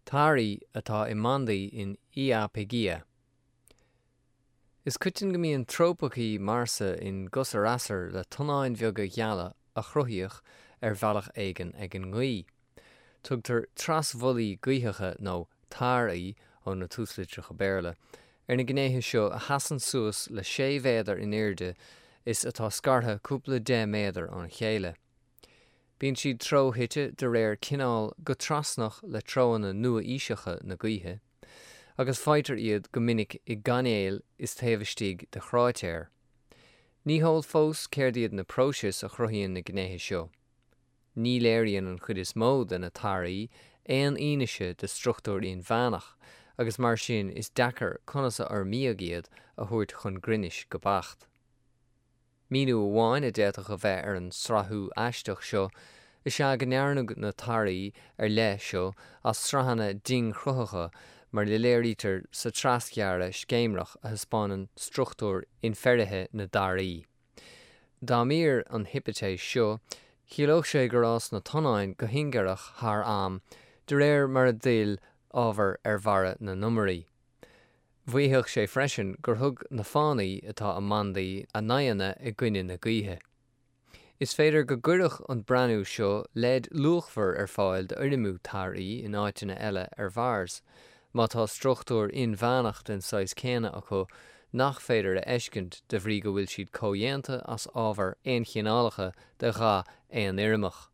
Taraí atá i mbandaí in Iapygia. Is coiteann go mbíonn trópaicí Mharsa in gcosar-easar le tonnáin bheaga gheala a cruthaíodh ar bhealach éigin ag an ngaoth. Tugtar trasbhuillí gaothaiche nó taraí, ó na túslitreacha Béarla, ar na gnéithe seo a sheasann suas le 6 mhéadar in airde is atá scartha cúpla 10 méadar óna chéile. Bíonn siad treoshuite de réir cineáil go trasnach le treoanna nua-aoiseacha na gaoithe, agus faightear iad go minic i gcainéil is taobh istigh de chráitéir. Ní heol fós céard iad na próisis a chruthaíonn na gnéithe seo. Ní léiríonn an chuid is mó de na taraí aon fhianaise de struchtúr inmheánach, agus mar sin is deacair conas a fhoirmíodh iad a thabhairt chun grinnis go beacht. Míniú amháin a d'fhéadfadh a bheith ar an srathú aisteach seo is ea go ndearnadh na taraí ar leith seo as sraitheanna dingchruthacha mar a léirítear sa trasghearradh scéimreach a thaispeánann struchtúr infheirithe na dtaraí. Dá mb'fhíor an hipitéis seo, chiallódh sé gur fhás na tonnáin go hingearach thar am de réir mar a d'fhill ábhar ar bharra na n-iomairí. Mhaífeadh sé freisin gur thug na fánaí atá i mbandaí a n-aghaidheanna i gcoinne na gaoithe. Is féidir go gcuirfeadh an breathnú seo leid luachmhar ar fáil d'fhoirmiú taraí in áiteanna eile ar Mhars, má tá struchtúr inmheánach den saghas céanna acu nach féidir a fheiscint de bhrí go bhfuil siad comhdhéanta as ábhair aonchineálacha de dhath aonfhoirmeach.